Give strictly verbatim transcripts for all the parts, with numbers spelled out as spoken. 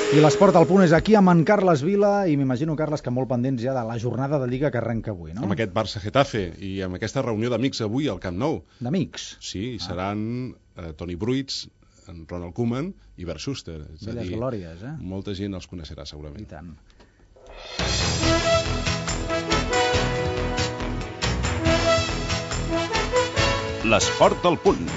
I l'esport al punt és aquí amb en Carles Vila i m'imagino, Carles, que molt pendents ja de la jornada de Lliga que arrenca avui, no? Amb aquest Barça-Getafe i amb aquesta reunió d'amics avui al Camp Nou. D'amics? Sí, ah. seran eh, Toni Bruits, en Ronald Koeman i Bert Schuster. Belles glòries, eh? Molta gent els coneixerà segurament. I tant. L'esport al punt.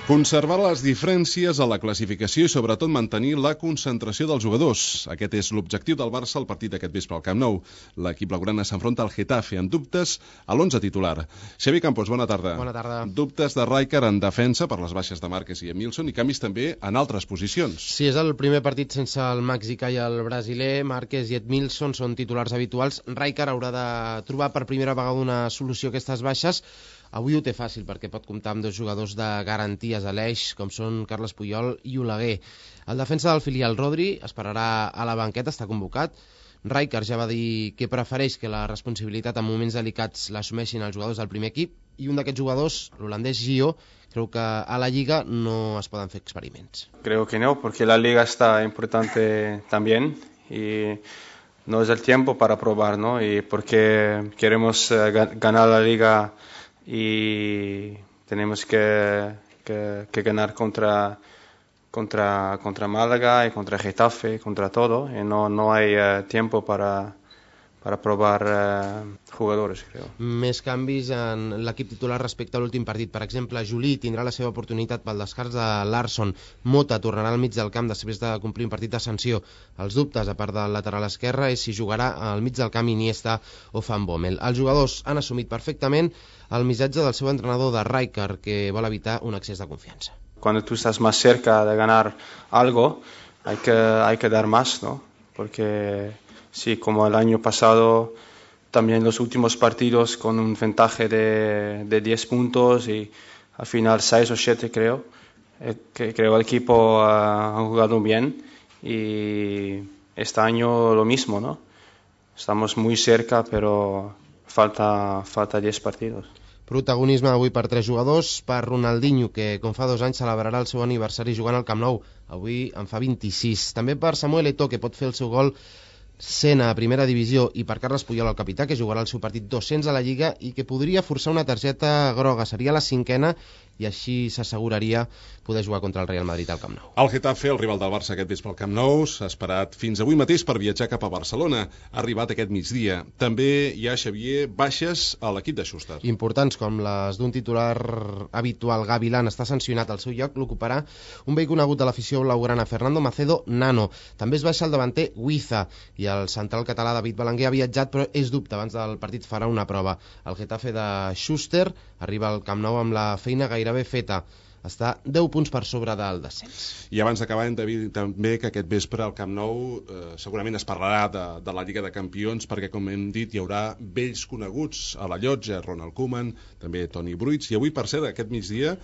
Conservar les diferències a la classificació i sobretot mantenir la concentració dels jugadors. Aquest és l'objectiu del Barça al partit d'aquest vespre al Camp Nou. L'equip blaugrana s'enfronta al Getafe amb dubtes a l'onze titular. Xavi Campos, bona tarda. Bona tarda. Dubtes de Rijkaard en defensa per les baixes de Márquez i Emilson i canvis també en altres posicions. Sí, és el primer partit sense el mexicà i el brasiler. Márquez i Emilson són titulars habituals. Rijkaard haurà de trobar per primera vegada una solució a aquestes baixes. Avui ho té fàcil perquè pot comptar amb dos jugadors de garanties a l'eix, com són Carles Puyol i Oleguer. El defensa del filial Rodri esperarà a la banqueta, està convocat. Rijkaard ja va dir que prefereix que la responsabilitat en moments delicats l'assumeixin els jugadors del primer equip i un d'aquests jugadors, l'holandès Gio, creu que a la Lliga no es poden fer experiments. Creo que no, porque la Liga está importante también y no es el tiempo para probar, ¿no? Y porque queremos uh, ganar la Liga y tenemos que, que, que ganar contra, contra, contra Málaga y contra Getafe, contra todo, y no, no hay uh, tiempo para, para probar uh, jugadores, creo. Més canvis en l'equip titular respecte a l'últim partit. Per exemple, Juli tindrà la seva oportunitat pel descars de Larsson. Mota tornarà al mig del camp després de complir un partit de sanció. Els dubtes, a part del lateral esquerre, és si jugarà al mig del camp Iniesta o Van Bommel. Els jugadors han assumit perfectament el missatge del seu entrenador de Rijkaard, que vol evitar un excés de confianza. Cuando tú estás más cerca de ganar algo, hay que, hay que dar más, ¿no? Porque sí, como el año pasado, también los últimos partidos con un ventaja de, de diez puntos y al final seis o siete creo, eh, que creo el equipo uh, ha jugado bien y este año lo mismo, ¿no? Estamos muy cerca, pero falta, falta diez partidos. Protagonisme avui per tres jugadors, per Ronaldinho, que com fa dos anys celebrarà el seu aniversari jugant al Camp Nou. Avui en fa vint-i-sis. També per Samuel Eto'o, que pot fer el seu gol sent a primera divisió, i per Carles Puyol, el capità, que jugarà el seu partit dos-cents a la Lliga i que podria forçar una targeta groga. Seria la cinquena i així s'asseguraria poder jugar contra el Real Madrid al Camp Nou. El Getafe, el rival del Barça aquest vespre al Camp Nou, s'ha esperat fins avui mateix per viatjar cap a Barcelona. Ha arribat aquest migdia. També hi ha, Xavier, baixes a l'equip de Schuster. Importants com les d'un titular habitual. Gavilán està sancionat. Al seu lloc l'ocuparà un vell conegut de l'afició blaugrana, Fernando Macedo Nano. També es baixa el davanter Huiza i el central català David Belenguer ha viatjat, però és dubte. Abans del partit farà una prova. El Getafe de Schuster arriba al Camp Nou amb la feina gairebé feta. Està deu punts per sobre del descens. I abans d'acabar hem de dir també que aquest vespre al Camp Nou eh, segurament es parlarà de, de la Lliga de Campions, perquè com hem dit hi haurà vells coneguts a la llotja, Ronald Koeman, també Toni Bruits, i avui per cert aquest migdia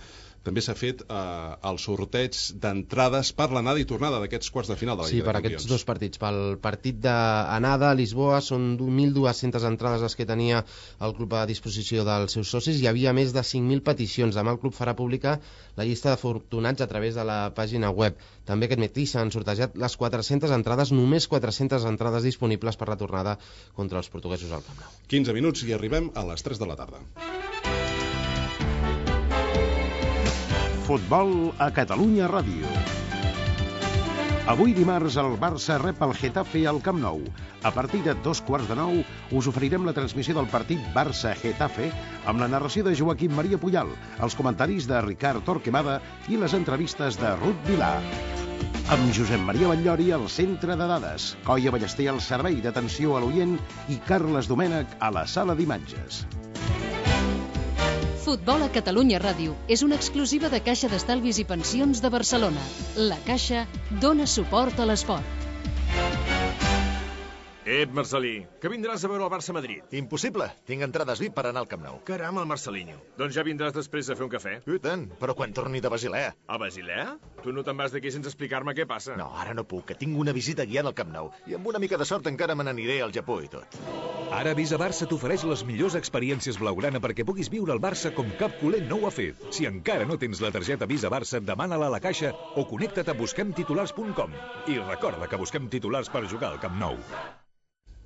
també s'ha fet eh, el sorteig d'entrades per l'anada i tornada d'aquests quarts de final de la sí, Lliga de per Campions. Aquests dos partits. Pel partit d'anada a Lisboa són mil dues-centes entrades les que tenia el club a disposició dels seus socis. Hi havia més de cinc mil peticions. Demà el club farà pública la llista d'afortunats a través de la pàgina web. També aquest matí s'han sortejat les quatre-centes entrades, només quatre-centes entrades disponibles per la tornada contra els portuguesos al Camp Nou. quinze minuts i arribem a les tres de la tarda. Futbol a Catalunya Ràdio. Avui dimarts el Barça rep el Getafe al Camp Nou. A partir de dos quarts de nou us oferirem la transmissió del partit Barça-Getafe amb la narració de Joaquim Maria Puyal, els comentaris de Ricard Torquemada i les entrevistes de Ruth Vilà. Amb Josep Maria Batllori al centre de dades, Coia Ballester al servei d'atenció a l'oient i Carles Domènech a la sala d'imatges. Futbol a Catalunya Ràdio és una exclusiva de Caixa d'Estalvis i Pensions de Barcelona. La Caixa dona suport a l'esport. Ep, Marcelí, que vindràs a veure el Barça-Madrid. Impossible, tinc entrades V I P per anar al Camp Nou. Caram, el Marcelinho. Doncs ja vindràs després a fer un cafè. I tant, però quan torni de Basilea. A Basilea? Tu no te'n vas d'aquí sense explicar-me què passa? No, ara no puc, que tinc una visita guiant al Camp Nou. I amb una mica de sort encara me n'aniré al Japó i tot. Ara Visa Barça t'ofereix les millors experiències blaugrana perquè puguis viure el Barça com cap culer no ho ha fet. Si encara no tens la targeta Visa Barça, demana-la a la caixa o connecta't a busquem titulars punt com. I recorda que busquem titulars per jugar al Camp Nou.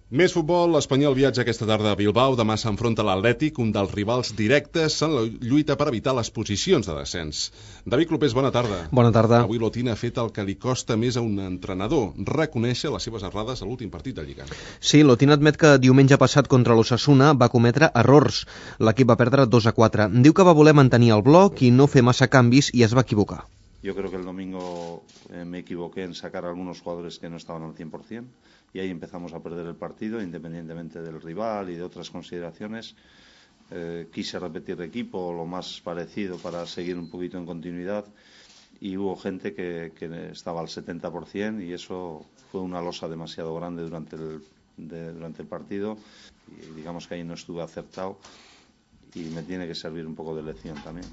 Més futbol, l'Espanyol viatja aquesta tarda a Bilbao, demà s'enfronta a l'Atlètic, un dels rivals directes en la lluita per evitar les posicions de descens. David Clopés, bona tarda. Bona tarda. Avui l'Otina ha fet el que li costa més a un entrenador, reconèixer les seves errades a l'últim partit de Lliga. Sí, l'Otina admet que diumenge passat contra l'Osasuna va cometre errors. L'equip va perdre dos a quatre. Diu que va voler mantenir el bloc i no fer massa canvis i es va equivocar. Yo creo que el domingo eh, me equivoqué en sacar a algunos jugadores que no estaban al cien por cien y ahí empezamos a perder el partido, independientemente del rival y de otras consideraciones. Eh, quise repetir equipo lo más parecido para seguir un poquito en continuidad y hubo gente que, que estaba al setenta por cien y eso fue una losa demasiado grande durante el, de, durante el partido y digamos que ahí no estuve acertado. I me tiene que servir un poco de lección también.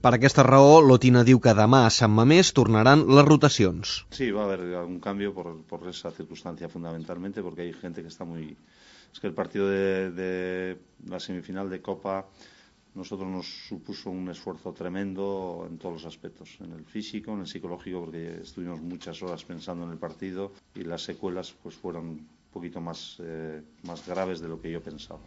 Per aquesta raó, l'Otina diu que demà a Sant Mamés tornaran les rotacions. Sí, va a haber algún cambio por, por esa circunstancia fundamentalmente, porque hay gente que está muy... Es que el partido de, de la semifinal de Copa nosotros nos supuso un esfuerzo tremendo en todos los aspectos, en el físico, en el psicológico, porque estuvimos muchas horas pensando en el partido y las secuelas pues fueron un poquito más, eh, más graves de lo que yo pensaba.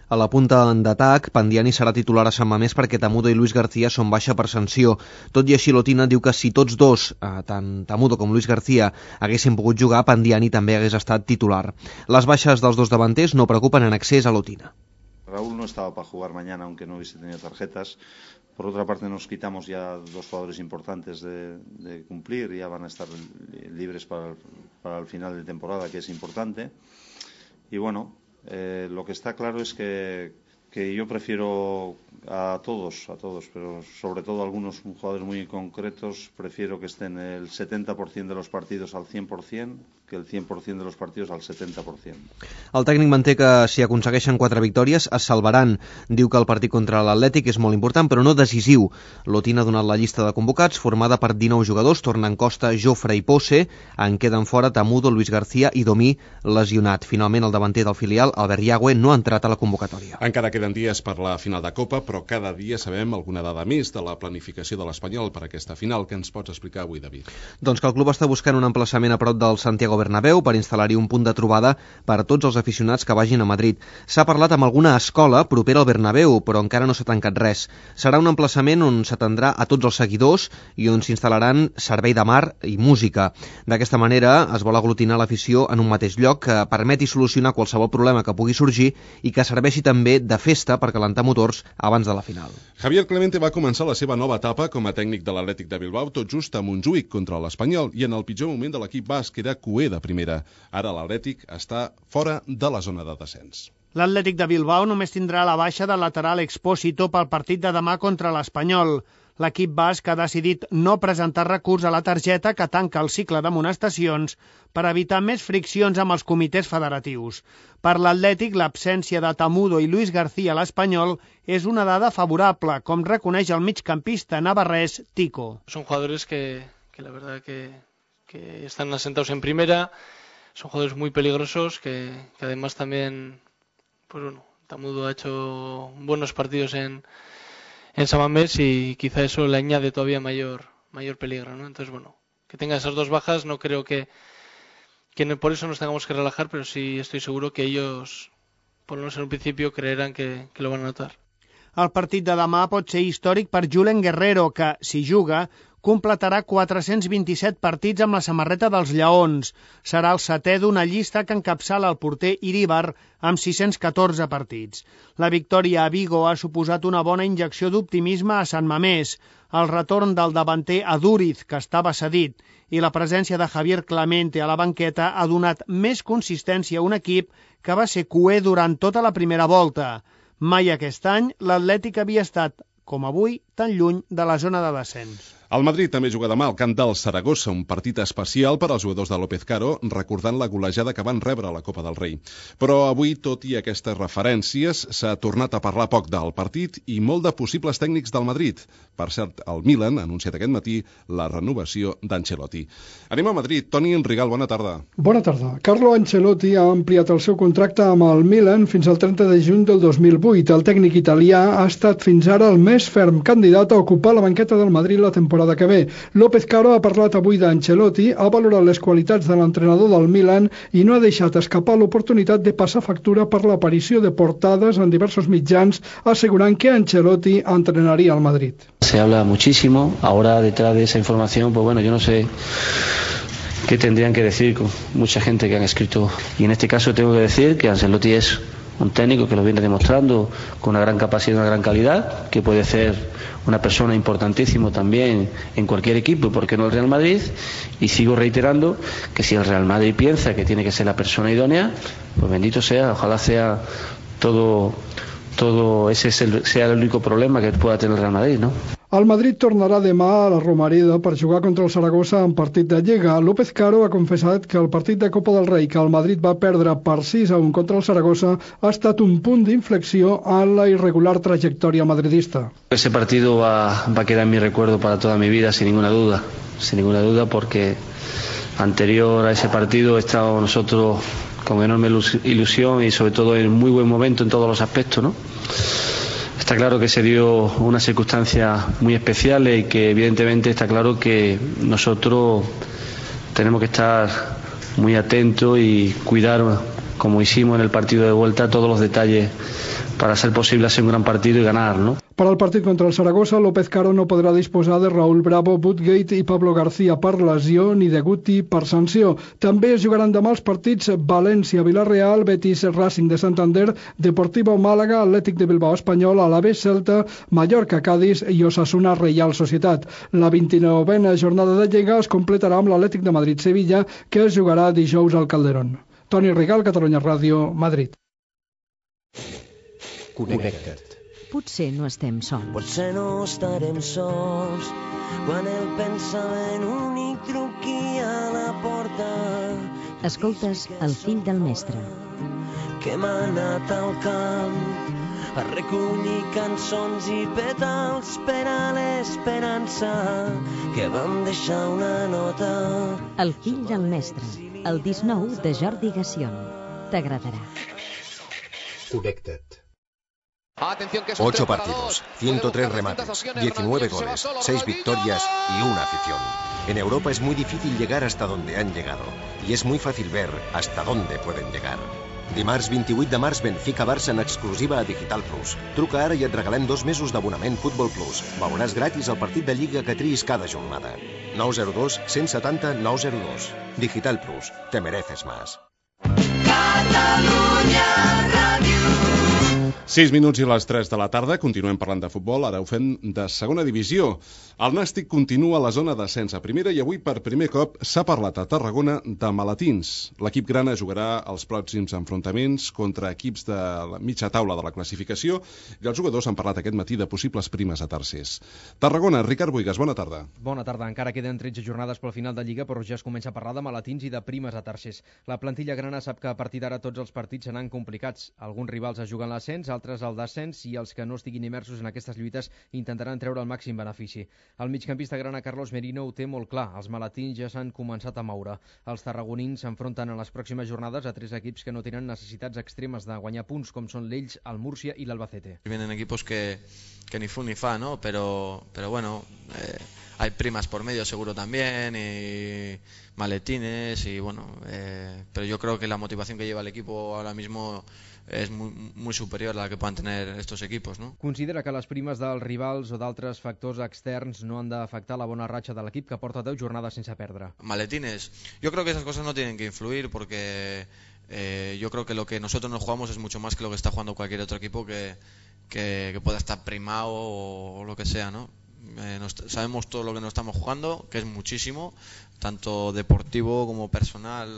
A la punta d'atac, Pandiani serà titular a Sant Mamés perquè Tamudo i Luis García són baixa per sanció. Tot i així, l'Otina diu que si tots dos, eh, tant Tamudo com Luis García, haguessin pogut jugar, Pandiani també hagués estat titular. Les baixes dels dos davanters no preocupen en excés a l'Otina. Raúl no estaba para jugar mañana, aunque no hubiese tenido tarjetas. Por otra parte, nos quitamos ya dos jugadores importantes de, de cumplir, ya van a estar libres para el, para el final de temporada, que es importante. Y bueno, eh, lo que está claro es que, que yo prefiero a todos, a todos, pero sobre todo a algunos jugadores muy concretos, prefiero que estén el setenta por cien de los partidos al cien por cien que el cien por cien de los partidos al setenta por cien. El tècnic manté que si aconsegueixen quatre victòries es salvaran. Diu que el partit contra l'Atlètic és molt important però no decisiu. L'Otina ha donat la llista de convocats formada per dinou jugadors, tornen Costa, Jofre i Posse, en queden fora Tamudo, Luis García i Domí lesionat. Finalment el davanter del filial, Albert Yagüe, no ha entrat a la convocatòria. Encara queden dies per la final de Copa, però cada dia sabem alguna dada més de la planificació de l'Espanyol per aquesta final. Què ens pots explicar avui, David? Doncs que el club està buscant un emplaçament a prop del Santiago Bernabéu per instal·lar-hi un punt de trobada per a tots els aficionats que vagin a Madrid. S'ha parlat amb alguna escola propera al Bernabéu, però encara no s'ha tancat res. Serà un emplaçament on s'atendrà a tots els seguidors i on s'instal·laran servei de mar i música. D'aquesta manera es vol aglutinar l'afició en un mateix lloc que permeti solucionar qualsevol problema que pugui sorgir i que serveixi també de festa per calentar motors abans de la final. Javier Clemente va començar la seva nova etapa com a tècnic de l'Atlètic de Bilbao tot just a Montjuïc contra l'Espanyol i en el pitjor moment de l'equip basc era cuer de primera. Ara l'Atlètic està fora de la zona de descens. L'Atlètic de Bilbao només tindrà la baixa del lateral Expósito pel partit de demà contra l'Espanyol. L'equip basc ha decidit no presentar recurs a la targeta que tanca el cicle d'amonestacions per evitar més friccions amb els comitès federatius. Per l'Atlètic, l'absència de Tamudo i Luis García a l'Espanyol és una dada favorable, com reconeix el migcampista navarrés Tico. Son jugadores que, que la verdad que, que están asentados en primera, son jugadores muy peligrosos que, que además también, pues bueno, Tamudo ha hecho buenos partidos en en San Mamés y quizá eso le añade todavía mayor mayor peligro, ¿no? Entonces, bueno, que tenga esas dos bajas, no creo que, que no, por eso nos tengamos que relajar, pero sí estoy seguro que ellos, por lo menos en un principio, creerán que, que lo van a notar. El partit de demà pot ser històric per Julen Guerrero, que, si juga, completarà quatre-cents vint-i-set partits amb la samarreta dels Lleons. Serà el setè d'una llista que encapçala el porter Iríbar amb sis-cents catorze partits. La victòria a Vigo ha suposat una bona injecció d'optimisme a Sant Mamés, el retorn del davanter Adúriz, que estava cedit, i la presència de Javier Clemente a la banqueta ha donat més consistència a un equip que va ser cuer durant tota la primera volta. Mai aquest any l'Atlètic havia estat, com avui, tan lluny de la zona de descens. El Madrid també juga demà al camp del Saragossa, un partit especial per als jugadors de López Caro, recordant la golejada que van rebre a la Copa del Rei. Però avui, tot i aquestes referències, s'ha tornat a parlar poc del partit i molt de possibles tècnics del Madrid. Per cert, el Milan ha anunciat aquest matí la renovació d'Ancelotti. Anem a Madrid. Toni Rigal, bona tarda. Bona tarda. Carlo Ancelotti ha ampliat el seu contracte amb el Milan fins al trenta de juny del dos mil vuit. El tècnic italià ha estat fins ara el més ferm candidat a ocupar la banqueta del Madrid la temporada que ve. López Caro ha parlat avui d'Ancelotti, ha valorat les qualitats de l'entrenador del Milan i no ha deixat escapar l'oportunitat de passar factura per l'aparició de portades en diversos mitjans assegurant que Ancelotti entrenaria al Madrid. Se habla muchísimo, ahora detrás de esa información, pues bueno, yo no sé qué tendrían que decir con mucha gente que han escrito. Y en este caso tengo que decir que Ancelotti es un técnico que lo viene demostrando con una gran capacidad y una gran calidad, que puede ser una persona importantísima también en cualquier equipo, y por qué no el Real Madrid. Y sigo reiterando que si el Real Madrid piensa que tiene que ser la persona idónea, pues bendito sea, ojalá sea todo, todo ese sea el único problema que pueda tener el Real Madrid, ¿no? El Madrid tornarà demà a la Romareda per jugar contra el Saragossa en partit de Lliga. López Caro ha confessat que el partit de Copa del Rei que el Madrid va perdre per sis a un contra el Saragossa ha estat un punt d'inflexió en la irregular trajectòria madridista. Ese partido va, va a quedar en mi recuerdo para toda mi vida, sin ninguna duda, sin ninguna duda, porque anterior a ese partido he estado nosotros con enorme ilusión y sobre todo en muy buen momento en todos los aspectos, ¿no? Está claro que se dio unas circunstancias muy especiales y que evidentemente está claro que nosotros tenemos que estar muy atentos y cuidar, como hicimos en el partido de vuelta, todos los detalles para ser posible hacer un gran partido y ganar, ¿no? Per al partit contra el Saragossa, López Caro no podrà disposar de Raúl Bravo, Woodgate i Pablo García per lesió ni de Guti per sanció. També es jugaran demà els partits València-Villarreal, Betis-Racing de Santander, Deportivo-Màlaga, Atlètic de Bilbao Espanyol, Alavés-Celta, Mallorca-Cádiz i Osasuna-Reial Societat. La vint-i-novena jornada de Lliga es completarà amb l'Atlètic de Madrid-Sevilla, que es jugarà dijous al Calderón. Toni Rigal, Catalunya Ràdio, Madrid. Connecta't. Potser no estem sols. Potser no estarem sols quan el pensament únic truqui a la porta. Escoltes El fill del mestre. Que m'ha anat al camp a recollir cançons i petals per a l'esperança que vam deixar una nota. El fill del mestre, el disc nou de Jordi Gassion. T'agradarà. Connecta't. Ocho partidos, ciento tres remates, diecinueve goles, seis victorias y una afición. En Europa es muy difícil llegar hasta donde han llegado y es muy fácil ver hasta dónde pueden llegar. Dimarts vint-i-vuit de març, Benfica-Barça en exclusiva a Digital Plus. Truca ara i et regalem dos mesos d'abonament Futbol Plus. Veuràs gratis el partit de Lliga que triïs cada jornada. nou zero dos, cent setanta, nou zero dos. Digital Plus, te mereces más. Catalunya Ràdio. sis minuts i les tres de la tarda, continuem parlant de futbol, ara ho fem de segona divisió. El Nàstic continua a la zona d'ascens a primera i avui per primer cop s'ha parlat a Tarragona de maletins. L'equip grana jugarà els pròxims enfrontaments contra equips de la mitja taula de la classificació i els jugadors han parlat aquest matí de possibles primes a tercers. Tarragona, Ricard Boigas, bona tarda. Bona tarda, encara queden tretze jornades pel final de Lliga, però ja es comença a parlar de maletins i de primes a tercers. La plantilla grana sap que a partir d'ara tots els partits seran complicats. Alguns rivals es juguen l'ascens, altres el descens i els que no estiguin immersos en aquestes lluites intentaran treure el màxim benefici. El migcampista grana Carlos Merino ho té molt clar, els maletins ja s'han començat a moure. Els tarragonins s'enfronten en les pròximes jornades a tres equips que no tenen necessitats extremes de guanyar punts, com són l'Elx, el Múrcia i l'Albacete. Vienen equipos que, que ni fu ni fa, ¿no? Pero, pero bueno, eh, hay primas por medio seguro también y maletines y bueno, eh, pero yo creo que la motivación que lleva el equipo ahora mismo és muy, muy superior a la que puedan tener estos equipos, ¿no? Considera que les primes dels rivals o d'altres factors externs no han d'afectar la bona ratxa de l'equip que porta deu jornades sense perdre. Maletines. Yo creo que esas cosas no tienen que influir porque eh, yo creo que lo que nosotros nos jugamos es mucho más que lo que está jugando cualquier otro equipo que, que, que pueda estar primado o, o lo que sea, ¿no? Eh, nos, sabemos todo lo que nos estamos jugando, que es muchísimo, tanto deportivo como personal,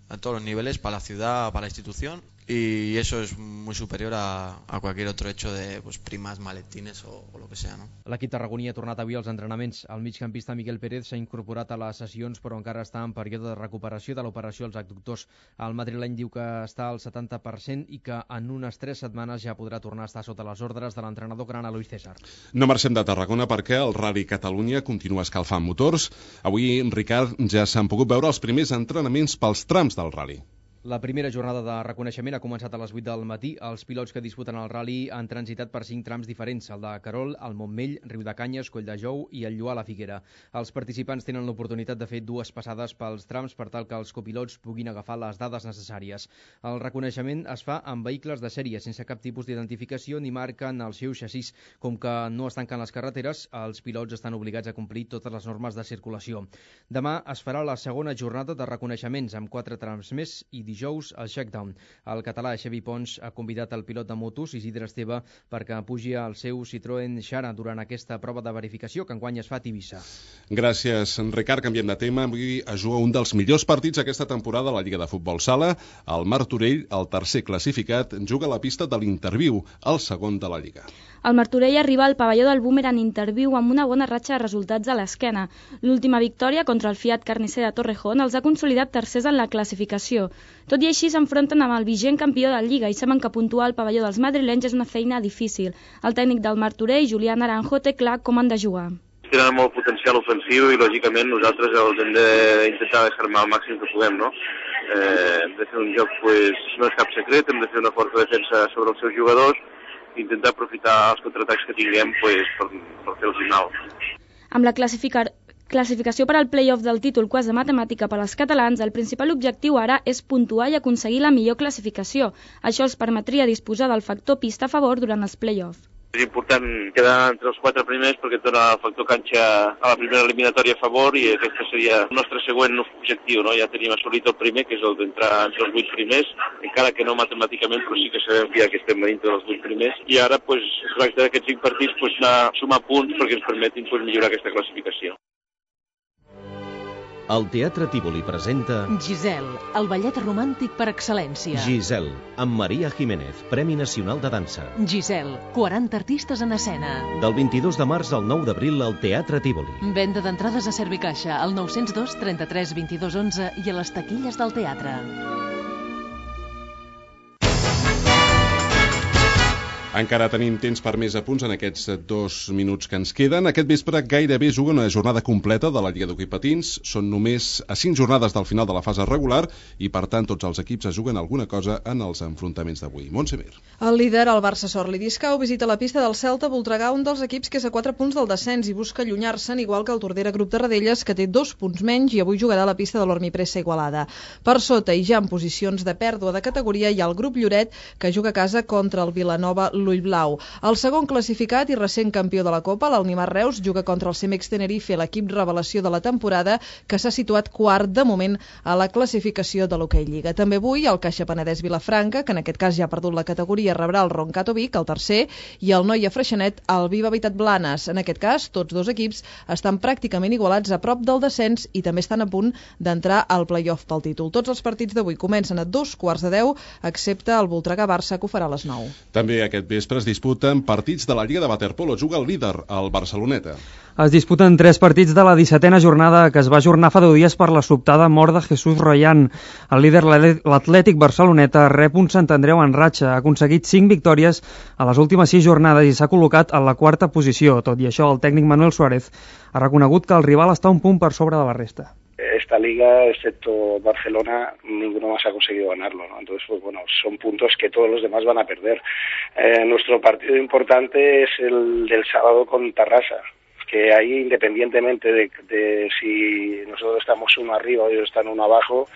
a todos los niveles, para la ciudad, para la institución. y eso es muy superior a, a cualquier otro hecho de pues, primas, maletines o, o lo que sea, no? L'equip tarragoní ha tornat avui als entrenaments. El migcampista Miguel Pérez s'ha incorporat a les sessions, però encara està en període de recuperació de l'operació als adductors. El madrileny diu que està al setanta per cent i que en unes tres setmanes ja podrà tornar a estar sota les ordres de l'entrenador grana Luis César. No marxem de Tarragona perquè el Rally Catalunya continua escalfant motors. Avui, Ricard, ja s'han pogut veure els primers entrenaments pels trams del Rally. La primera jornada de reconeixement ha començat a les vuit del matí. Els pilots que disputen el rally han transitat per cinc trams diferents, el de Querol, el Montmell, Riudecanyes, Colldejou i el Lloar la Figuera. Els participants tenen l'oportunitat de fer dues passades pels trams per tal que els copilots puguin agafar les dades necessàries. El reconeixement es fa amb vehicles de sèrie, sense cap tipus d'identificació ni marca en el seu xassís. Com que no es tanquen les carreteres, els pilots estan obligats a complir totes les normes de circulació. Demà es farà la segona jornada de reconeixements amb quatre trams més i dijous el shakedown. El català Xavi Pons ha convidat el pilot de motos Isidre Esteve perquè pugi al seu Citroën Xara durant aquesta prova de verificació que enguany es fa a Tivissa. Gràcies, Ricard. Canviem de tema. Avui es juga un dels millors partits aquesta temporada a la Lliga de Futbol Sala. El Martorell, el tercer classificat, juga a la pista de l'Interviu, el segon de la Lliga. El Martorell arriba al pavelló del Boomerang Interviu amb una bona ratxa de resultats a l'esquena. L'última victòria contra el Fiat Carnicer de Torrejón els ha consolidat tercers en la classificació. Tot i així s'enfronten amb el vigent campió de Lliga i saben que puntuar al pavelló dels madrilenys és una feina difícil. El tècnic del Martorell, Julià Naranjo, té clar com han de jugar. Tenen molt potencial ofensiu i lògicament nosaltres els hem d'intentar desarmar al màxim que puguem, no? Eh, hem de fer un joc, pues, no és cap secret, hem de fer una forta defensa sobre els seus jugadors, intentar aprofitar els contraatacs que tinguem pues, per, per fer el final. Amb la classificar... classificació per al play-off del títol quasi de matemàtica per als catalans, el principal objectiu ara és puntuar i aconseguir la millor classificació. Això els permetria disposar del factor pista a favor durant els play-off. És important quedar entre els quatre primers perquè et dona el factor canxa a la primera eliminatòria a favor i aquest seria el nostre següent objectiu, no? Ja tenim assolit el primer, que és el d'entrar entre els vuit primers, encara que no matemàticament, però sí que sabem ja que estem dintre dels vuit primers. I ara, pues, es tracta d'aquests cinc partits, pues, anar a sumar punts perquè ens permetin pues, millorar aquesta classificació. El Teatre Tívoli presenta Giselle, el ballet romàntic per excel·lència. Giselle, amb Maria Jiménez, Premi Nacional de Dansa. Giselle, quaranta artistes en escena. Del vint-i-dos de març al nou d'abril al Teatre Tívoli. Venda d'entrades a Servicaixa, al nou zero dos, trenta-tres, vint-i-dos, onze i a les taquilles del teatre. Encara tenim temps per més apunts en aquests dos minuts que ens queden. Aquest vespre gairebé juga una jornada completa de la Lliga d'Hoquei Patins. Són només a cinc jornades del final de la fase regular i, per tant, tots els equips es juguen alguna cosa en els enfrontaments d'avui. Montse Mir. El líder, el Barça Sorli Discau, visita la pista del Celta a Voltregà, un dels equips que és a quatre punts del descens i busca allunyar-se'n, igual que el Tordera Grup de Radelles, que té dos punts menys i avui jugarà a la pista de l'Ormipressa Igualada. Per sota i ja en posicions de pèrdua de categoria hi ha el grup Lloret, que juga a casa contra el Vilanova l'Ull Blau. El segon classificat i recent campió de la Copa, l'Almimar Reus, juga contra el Cemex Tenerife, l'equip revelació de la temporada, que s'ha situat quart de moment a la classificació de l'Hoquei Lliga. També avui el Caixa Penedès Vilafranca, que en aquest cas ja ha perdut la categoria, rebrà el Roncato Vic, el tercer, i el Noia Freixenet, el Viva Habitat Blanes. En aquest cas, tots dos equips estan pràcticament igualats a prop del descens i també estan a punt d'entrar al play-off pel títol. Tots els partits d'avui comencen a dos quarts de deu, excepte el Voltregà-Barça, que ho farà a les nou. També aquest vespre es disputen partits de la Lliga de Waterpolo. Juga el líder, el Barceloneta. Es disputen tres partits de la dissetena jornada que es va ajornar fa deu dies per la sobtada mort de Jesús Royan. El líder, l'Atlètic Barceloneta, rep un Sant Andreu en ratxa. Ha aconseguit cinc victòries a les últimes sis jornades i s'ha col·locat en la quarta posició. Tot i això, el tècnic Manuel Suárez ha reconegut que el rival està un punt per sobre de la resta. Esta liga, excepto Barcelona, ninguno más ha conseguido ganarlo, ¿no? Entonces, pues bueno, son puntos que todos los demás van a perder. Eh, nuestro partido importante es el del sábado con Tarrasa, que ahí, independientemente de, de si nosotros estamos uno arriba o ellos están uno abajo,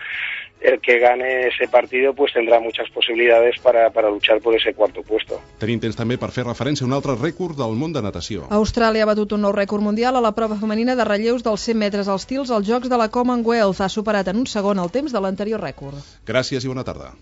el que gane ese partido pues tendrá muchas posibilidades para, para luchar por ese cuarto puesto. Tenim temps també per fer referència a un altre rècord del món de natació. Austràlia ha batut un nou rècord mundial a la prova femenina de relleus dels cent metres als tils als Jocs de la Commonwealth. Ha superat en un segon el temps de l'anterior rècord. Gràcies i bona tarda.